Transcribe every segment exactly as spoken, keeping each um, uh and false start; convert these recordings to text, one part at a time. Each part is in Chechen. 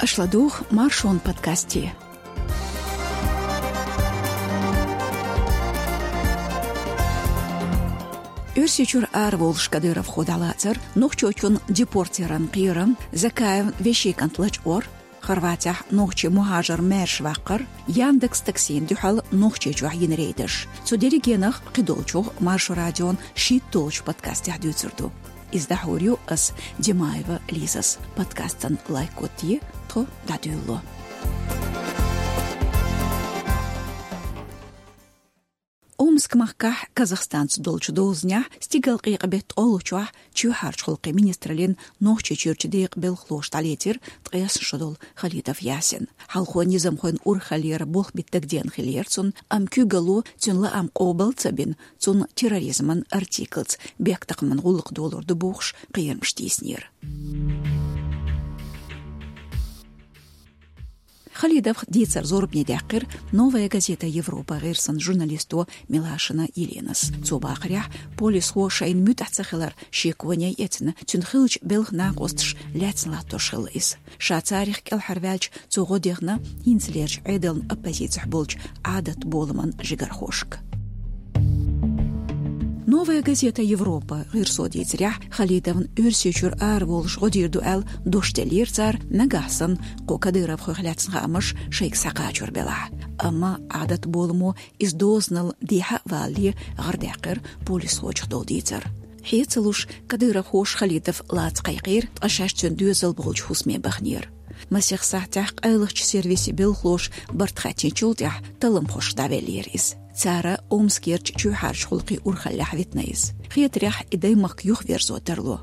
Аша ладугӀу Маршон подкасте. Оьрсийчуьра араволуш Кадыровхо дӀалацар, нохчочун депортъяран кхерам, Закаевн вешин кӀант лачкъор, Хорватехь нохчийн мухӀажар маьрша ваккхар, Яндекс Таксина дуьхьал Нохчийчохь йина рейдаш. Цу дерригенах кхидолчух Маршо радион шийтталгӀачу подкастехь дуьйцур ду. Иза дӀахьур ю ас, Димаева Лизас. Подкастан лайк гӀоттае, тхо дӀадуьйлало. Омск-махкахь Казахстанца долчу дозанехь стигалкъекъа беттан ткъолгӀачохь чоьхьарчу гӀуллакхийн министраллин Нохчийчуьрчу декъан белхалоша дӀалецира ткъесна шо долу Халидов Ясин. Хьалхо низамхойн урхаллера болх битта дагадеана хиллера цунна, амма куьйгалло цуьнан лаам къобал ца бина, цунна терроризман артиклца бехктакхаман гӀуллакх долур ду бохуш кхерамаш тийсинера. Халидовх дийцар зорбане даьккхира «Новая газета Европа» гӀирсан журналисто Милашина Еленас. Цо бахарехь, полисхо шайна муьтӀахь ца хилар шеконе эцна, цуьнан хиллачу белхан накъосташа лаьцна латтош хилла иза. Ша царах кӀелхьарваьлча, цо гӀо дехна хӀинцалерчу Ӏедална оппозицехь болчу Ӏадат-боламан жигархошка. «Новая газета Европа» гӀирсо дийцарехь, Халидовна Оьрсийчуьра араволуш гӀо дийр ду аьлла дош деллера цара, нагахь санна кху кадыровхойх лаьцна хаамаш шайга схьакхачор белахь. Амма Ӏадат-боламо иза дозанал дехьа а валале гӀардаьккхира полисхочух долу дийцар. Хье ца луш, кадыровхоша Халидов лаца кхайкхийра, ткъа шаьш цуьнан доьзал болчу хӀусаме баханера. Масех сахьтехь къайлахчу сервисийн белхалоша барт хаьттинчул тӀаьхьа талламхошка дӀавеллера иза. Цара Омскерчу чоьхьарчу гӀуллакхийн урхаллехь витина иза. Хетарехь, и даймахка юхаверзо тарло.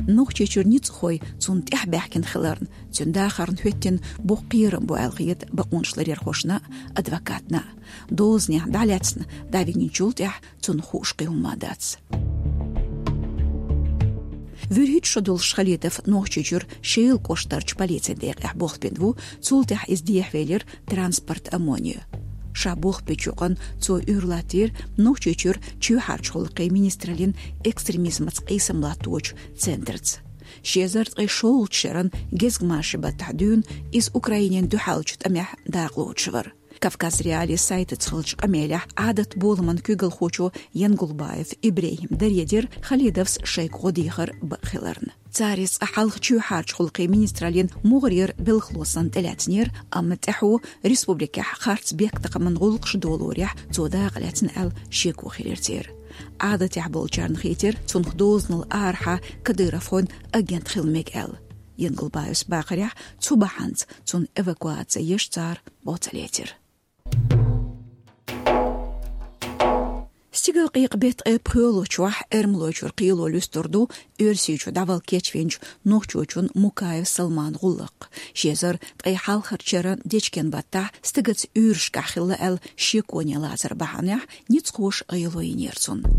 Нохчийчуьра ницкъахой цунна тӀаьхьа баьхкина хиларна, цуьнан дахарна хӀоьттина боккха кхерам бу аьлла хета бакъонашларъярхошна а, адвокатна а. Дозанехь дӀалаьцна дӀавигначул тӀаьхьа цунна хууш кхин хӀума дац. ВуьрхӀитта шо долуш Халидов Нохчийчуьра Шелан кӀоштарчу полицин декъехь болх бина ву, цул тӀаьхьа иза дехьавелира транспорт ОМОНе. Ша болх бечу юкъана цо уьйр латтийра Нохчийчуьра чоьхьарчу гӀуллакхийн министраллин экстремизмаца къийсам латточу центрца. Ши эзар ткъе шолгӀачу шеран гезгмашин баттахь дуьйна иза Украинина дуьхьалчу тӀамехь дакъа лоцуш вара. Кавказ.Реалии сайтаца хиллачу къамелехь Ӏадат-боламан куьйгалхочо Янгулбаев ИбрехӀима даре дира Халидовс шайга гӀо дехар бакъ хиларна. Цара иза цкъа хьалха чоьхьарчу гӀуллакхийн министраллин мугӀарера белхало санна тӀелаьцнера, амма тӀаьхьо республикехь харц бехктакхаман гӀуллакхаш долорехь цо дакъа лаьцна аьлла шеко хилира церан. Ӏадатехь болчарна хийтира, цунах дозанал арахьа кадыровхойн агент хила мега аьлла. Янгулбаевс бахарехь, цу бахьанца цунна эвакуаци еш цара бо ца лецира. Стигалкъекъа беттан ткъе пхоьалгӀачохь Эрмалойчуьра кхело луьстур ду Оьрсийчу дӀавала кечвинчу нохчочун Мукаев Салман гӀуллакх. Ши эзар ткъе хьалхарчу шеран дечкен баттахь стагаца уьйрашкахь хилла аьлла шеконе лацар бахьанехь ницкъахоша гӀело йинера цунна.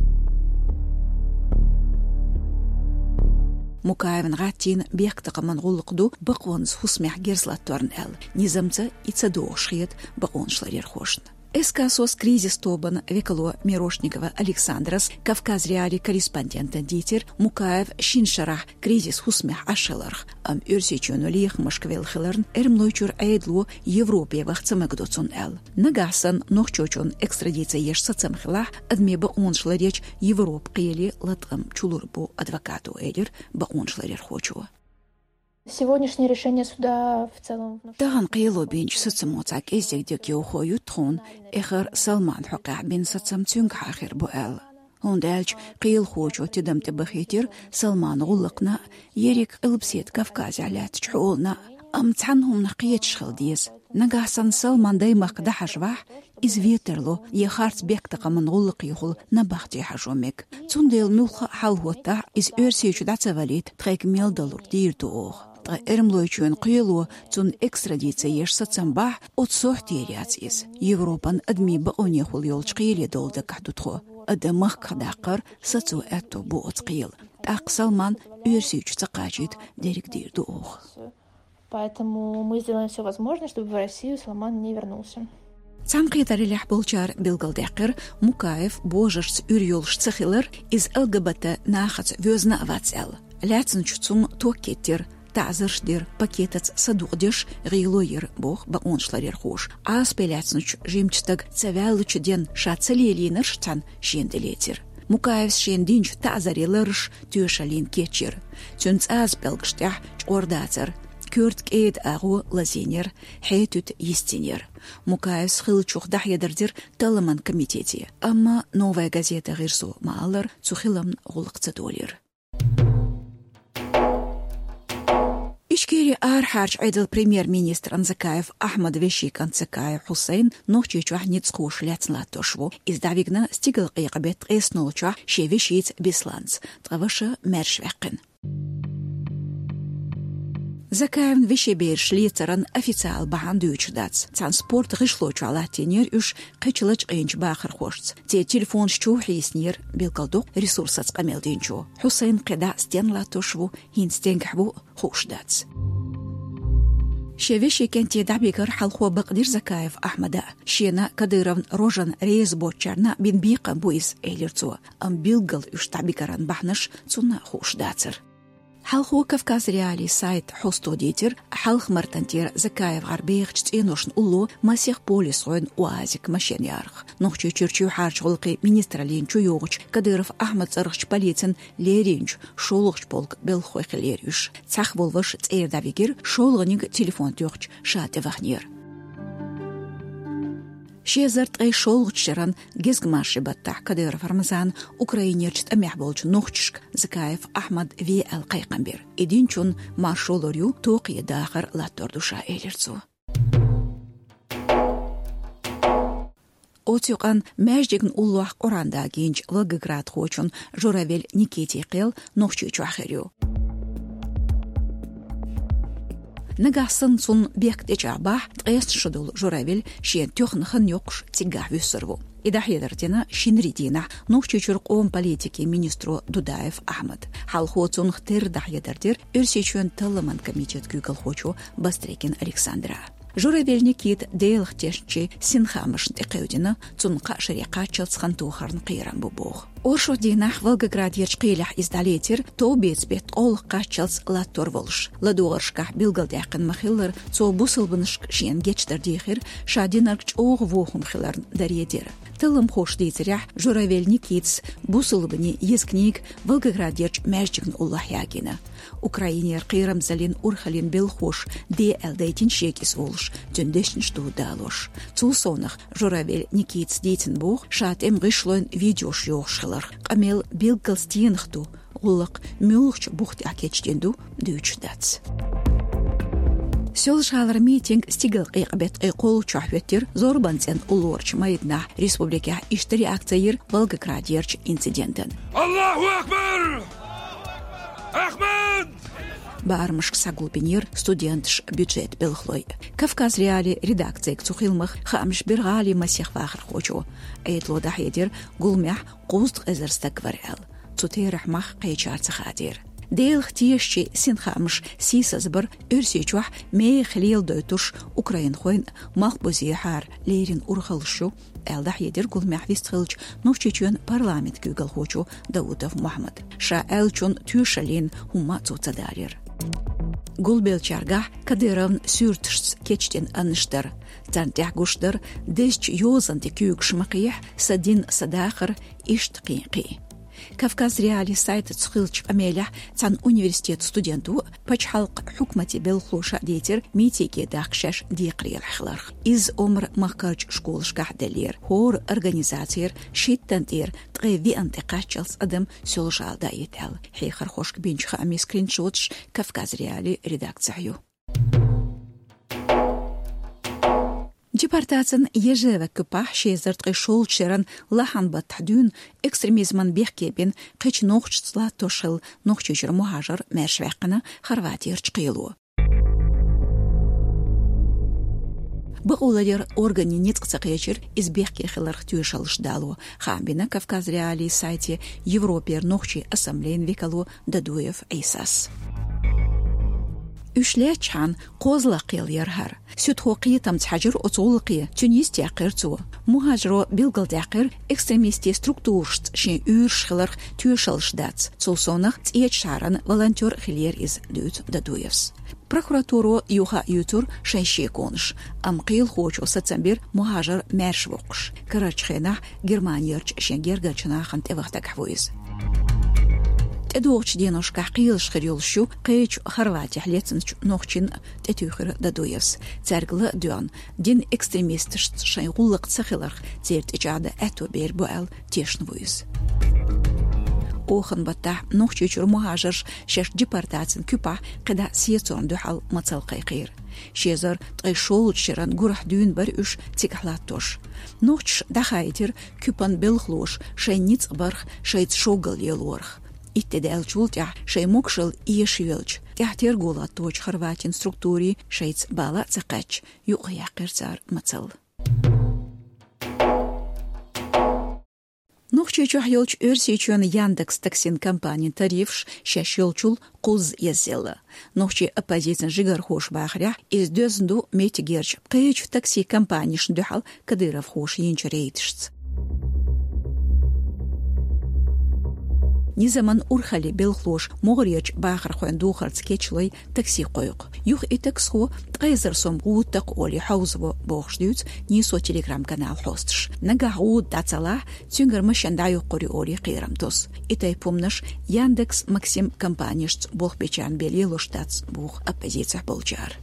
Мукаевна гӀаттийна бехктакхаман гӀуллакх ду бакъонца хӀусамехь герз латторна аьлла, низамца и ца догӀуш хета бакъонашларъярхошна. СК «СОС» кризис тобан векало Мирошникова Александрас Кавказ.Реалии корреспондентана дийцира Мукаев шина шарахь кризис хӀусамехь Ӏаш хиларх, амма Оьрсийчоьно лехамашка велла хиларна, Эрмалойчуьра Ӏедало Европе ваха ца магадо цунна аьлла. Нагахь санна нохчочунна экстрадици еш сацам хилахь, адамийн бакъонаш ларъечу Европан кхеле латкъам чулур бу адвокато, элира бакъонашларъярхочо. Сегодняшнее решение суда в целом внушает... Тахана кхело бинчу сацамо цхьа кӀеззиг дегайовхо ю тхуна, эххар Салман хьокъехь бина сацам цуьнгахьа хир бу аьлла. ХӀунда аьлча кхелахочо тидам тӀе бахийтира Салман гӀуллакхна а, ерриг Къилбаседа Кавказехь лаьттачу хьолана а, амма цхьана хӀуманах кхеташ хила деза. Нагахь санна Салман даймахка дӀахьажавахь, иза вен тарло, я харц бехктакхаман гӀуллакхехула набахте хьажо мега. Цундела муьлхха а хьал хӀоттахь, иза Оьрсийчу дӀа ца валийта, тхайга мел далург дийр ду оха. Ткъа Эрмалойчоьнан кхело цунна экстрадици еш сацам бахь, оцу сохьтера яц иза. Европан адамийн бакъонехула йолчу кхеле довла дагахь ду тхо. Адам махках даккхар сацо аьтто бу оцу кхелан. ТӀаккха Салман Оьрсийчу ца кхачийта дерриг дийр ду оха. Поэтому мы сделаем всё возможное, чтобы в Россию Салман не вернулся. Цхьаьнакхетараллехь болчара билгалдаьккхира, Мукаев божаршца уьйр йолуш ца хилар, иза ЛГБТ нахаца воьзна а вац аьлла. Лаьцначу цунна ток кхиттира, таӀзарш дир, пакетаца садукъдеш гӀело йир, боху бакъонашларъярхоша. Ӏазапе лаьцначу жимачу стага ца ваьллачу денна ша ца лелийнарш цхьаьна шена тӀелецира. Мукаевс шена динчу таӀзарийн лараш тоьшаллина кечйира. Цуьнан цӀаза пӀелгаш тӀехь чкъор дацара, коьрта кӀеда агӀо лазийнера, хьетуьта йистинера. Мукаевс хиллачух дӀахьедар дира талламан комитете, амма «Новая газета» гӀирсо ма-аллара, цу хиламна гӀуллакх ца долийра. Ичкерин арахьарчу Ӏедалан премьер-министран Закаев Ахьмадан вешин кӀант Закаев Хьусайн Нохчийчохь ницкъахоша лаьцна латтош ву. Иза дӀавигна стигалкъекъа беттан ткъеснолчохь шен вешица Бесланца, ткъа ваша маьрша ваьккхина. Закаевн вешин бераш лецаран официалан бахьана дуьйцуш дац. Цхьана спортан гӀишлон чохь латтийнера уьш кхечу лачкъийначу бахархошца. Церан телефонаш чу хьийснера, билгалдоккху ресурсаца къамел динчо. Хьусайн кхидӀа стенна латтош ву, хӀинца стенгахь ву, хууш дац. Шен вешин кӀанте дӀабигар хьалхо бакъдира Закаев Ахьмада. Шена Кадыровн рожана реза боцучарна бина бекхам бу иза, элира цо. Амма билггал уьш дӀабигаран бахьанаш цунна хууш дацара. Хьалхо Кавказ.Реалии сайтан хьосташа дийцира, хьалха мартан тӀера Закаев гӀар бехачу цӀеношна улло масех полисхойн УАЗик машен ярах. Нохчийчуьра чоьхьарчу гӀуллакхийн министраллина чуйогӀучу Кадыров Ахьмадан цӀарахчу полицин леринчу шолгӀачу полкан белхахой хиллера уьш. Цхьаъ волу ваша цӀера дӀавигира, шолгӀаниг телефон тоьхча ша тӀеваханера. Ши эзар ткъе шолгӀачу шеран гезгмашин баттахь Кадыров Рамзана Украинерчу тӀамехь болчу нохчашка Закаев Ахьмад ве аьлла кхайкхам бира. И динчунна маршо лур ю, токхе дахар латтор ду ша, элира цо. Оцу юкъанна маьждигна уллохь Къуръан дагийначу волгоградхочун Журавель Никитин кхел Нохчийчохь хир ю. Нагахь санна цунна бехк тӀечӀагӀбахь, ткъеснаш долу Журавель шена тоьхна хан йоккхуш циггахь вуьсур ву. И дӀахьедар дина шинарин дийнахь Нохчийчуьра къоман политикин министро Дудаев Ахьмада. Хьалхо цунах терра дӀахьедар дира Оьрсийчоьнан талламан комитетан куьйгалхочо Бастрыкин Александра. Журавель Никита Делах тешначийн синхамашна тӀекхевдина, цунна кхаа шаре кхаччалц хан тохарна кхерам бу боху. Оршот дийнахь Волгоградерчу кхелехь иза дӀалецира, товбеца беттан кӀолах кхаччалц латтор волуш. ЛадогӀаршкахь билгалдаьккхина ма-хиллара, цо бусалбанашка шена гечдар дийхира, ша динарг чӀогӀа вон хӀума хиларна даре дира. Талламхоша дийцарехь, Журавель Никитас бусалбанийн еза книга Волгоградерчу маьждигна уллохь ягийна. Украинера кхерамзаллин урхаллин белхахоша де аьлла дайтина шега иза олуш, цуьнан дешнаш дуьйцу далош. Цул совнаха Журавель Никитас дийцина боху ша тӀеман гӀишлойн видеош йохуш хиларх. Къамел билггал стенах ду, гӀуллакх муьлхачу бух тӀехь кечдина ду, дуьйцуш дац. Соьлжа-ГӀалара митинг стигалкъекъа беттан ткъе кхоалгӀачохь хӀоьттира, зорбанан цӀенна уллорчу майданахь. Республикехь иштта реакция йира Волгоградерчу инцидентана. Аллаху акбар! Ахмад! Барамашка схьагулбинера студенташ, бюджетан белхалой. Кавказ.Реалии редакцега цу хиламах хаамаш бира гӀалин масех вахархочо. Ӏедало дӀахьедира, гуламехь кхузткъа эзар стаг вара аьлла. Цу терахьмах кхечара ца хадийра. Делах тешачийн синхамаш сийсазбар Оьрсийчохь мехах леладойтуш украинхойн малхбузехьара леррина урхаллаш ю, аьлла дӀахьедира гуламехь вистхиллачу Нохчийчоьнан парламентан куьйгалхочо Даутов Мухьаммада. Ша аьллачун тоьшаллина хӀумма а цо ца далийра. Гулбеллачаьргахь Кадыровн суьрташца кечдина аннаш дара. Царна тӀехь гуш дара: «Дезачу йозанан тӀе куьйгаш ма кхехьа, сан дин, сан дахар», иштта кхин а кхин. Кавказ.Реалии сайтаца хиллачу къамелехь цхьана университетан студенто пачхьалкхан хьукматан белхалоша а дийцира митинге дахка шаьш декхарийлахь хиларх. Иза Омра-махкарчу школашкахь деллера. ХӀора организацера шийтта тӀера ткъе виъна тӀе кхаччалц адам Соьлжа-ГӀала даийта аьлла, хьехархошка бинчу хаамийн скриншоташ Кавказ.Реалии редакцехь ю. Депортацин Ежева куьпахь ши эзар ткъе шолгӀачу шеран лахьан баттахь дуьйна экстремизман бехке бина кхечу нохчашца латтош хилла Нохчийчуьра мухӀажар маьрша ваьккхина Хорватиярчу кхело. Бакъоларъяран органийн ницкъ ца кхечира иза бехке хиларх тоьшаллаш дало, хаам бина Кавказ.Реалии сайте Европера нохчийн ассамблейн векало Дадуев Ӏийсас. Уьш лаьттачхьана кхозлагӀа кхел яр хӀара. Суьдхо кхетамца хьажар оцу гӀуллакхе, цуьнан йист яьккхира цо. Мухьажаро билгалдаьккхира экстремистийн структурашца шен уьйраш хиларх тоьшаллаш дац. Цул совнаха ЦӀечу шахьаран волонтёр хиллера иза, дуьйцу Дадуевс. Прокуратуро юха а юьйцура шайн шеконаш, амма кхелахочо сацам бира Мухьажар маьрша воккхуш. Карарчу хенахь Германерчу шен гергарчу нахана тӀеваха дагахь ву иза. ТӀедогӀучу деношкахь кхелаш хир йолуш ю кхечу Хорватехь лецначу нохчийн, тӀетуьйхира Дадуевс. Цаьрга ла а доьгӀна, дина экстремисташца шайн гӀуллакх ца хиларх церан тӀечӀагӀдан аьтто бер бу аьлла, тешна ву иза. Оханан баттахь Нохчийчуьра мухьажарш шаьш депортацин куьпахь кхидӀа сецорна дуьхьал мацалла кхайкхийра. Ши эзар ткъе шолгӀачу шеран гурахь дуьйна бара уьш цигахь латтош. Нохчаша дӀахаийтира куьпан белхалоша шайн ницкъ барх, шайца шоггал лелорх. Итт де даьллачул тӀаьхьа шайн могушалла эшайоьлча, тӀаьхьа терго латточу Хорватин структурийн шайца бала а ца кхаьчча, юкъаяьккхира цара мацалла. Нохчийчохь йолчу Оьрсийчоьнан Яндекс Таксин компанин тарифаш шаьш йолчул кхузза эзаелла. Нохчийн оппозицин жигархоша бахарехь, иза доьзна ду меттигерчу кхечу такси компанешна дуьхьал кадыровхоша йинчу рейдашца. Низаман урхаллин белхалоша могӀарерчу бахархойн духарца кечлой такси кхойкху. Юха и таксхо ткъе эзар сом гӀуда такху олий хьовзаво бохуш дуьйцу Нийсо Telegram-каналан хьосташа. Нагахь гӀуда дӀа ца лахь, цуьнгара машен дӀайоккхур ю олий кхерам тосу. И тайпа хӀуманаш Яндекс, Максим компанешца болх бечарна бен лелош дац, боху оппозицехь болчара.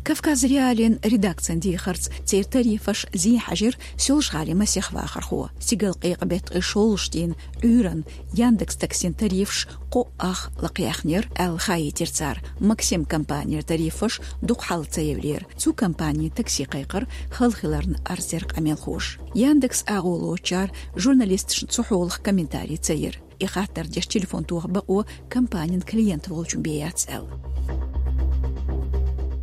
Кавказ.Реалиин редакцин дехарца, церан тарифаш зен хьаьжира Соьлжа-ГӀалин масех вахархо. Стигалкъекъа беттан ткъе шолгӀачу дийнан Ӏуьйранна Яндекс Таксин тарифаш кхо ах лакхаяьхнера аьлла хаийтира цара. Максим компанера тарифаш дукха хьалха ца евлера. Цу компанин такси кхайкхар хала хиларна арз дира къамелхоша. Яндекс агӀо лоцучара журналисташна цу хьолах комментари ца йира. И хаттар деш телефон тоха бакъо компанин клиент волчун бен яц аьлла.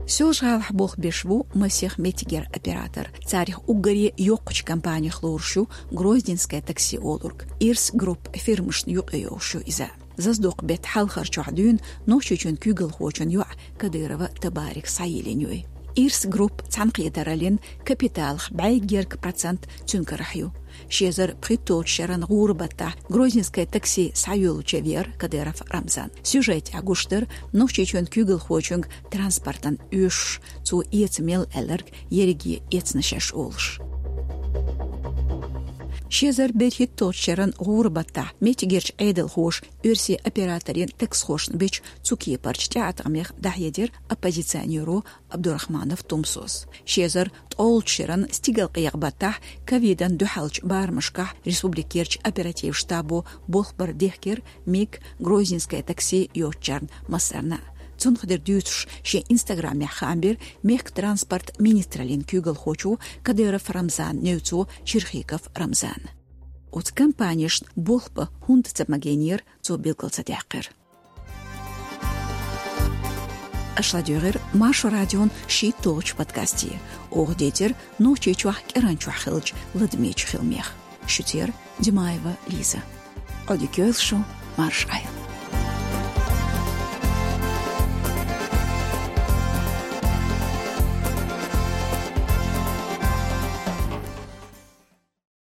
Соьлжа-ГӀалахь болх беш ву масех меттигера оператор. Царах уггаре йоккхачу компанех лоруш ю Грозненское такси олург. Ирс Групп фирмашна юкъа йогӀуш ю иза. Заздокъ беттан хьалхарчохь дуьйна Нохчийчоьнан куьйгалхочун йоӀ Кадырова Табарик схьайиллина ю. Ирс Групп цхьаьнакхетараллин капиталах бӀе гергга процент цуьнан карахь ю. Ши эзар пхийтталгӀачу шеран гӀуран баттахь Грозненское такси схьайоьллучу веара Кадыров Рамзан. Сюжетехь гуш дара Нохчийчоьнан куьйгалхочуьнга транспортан оьшуш, цо эца мел аьлларг ерриге эцна шаьш олуш. Ши эзар берхӀитталгӀачу шеран гӀуран баттахь меттигерчу Ӏедалхоша оьрсийн операторийн таксхошна бича цу кепарчу тӀеӀаткъамех дӀахьедира оппозиционеро Абдурахманов Тумсос. Ши эзар ткъолгӀачу шеран стигалкъекъа баттахь ковидан дуьхьалчу барамашкахь республикерчу оперативан штабо болх бар дехкира МИГ, Грозненское такси йоцучарна массарна а. Цунах дерг дуьйцуш шен Инстаграмехь хаам бира мехкан транспорт министраллин куьйгалхочо Кадыров Рамзанан невцо Черхиков Рамзана. Оцу компанешна болх бан хӀунда ца магийнера, цо билгал ца даьккхира. Аша ладуьйгӀира Маршо радион шийтталгӀачу подкасте. Оха дийцира Нохчийчохь кӀиранчохь хиллачу ладамечу хиламех. Шуьца яра Димаева Лиза. Ӏодика йойла шун, марша Ӏойла.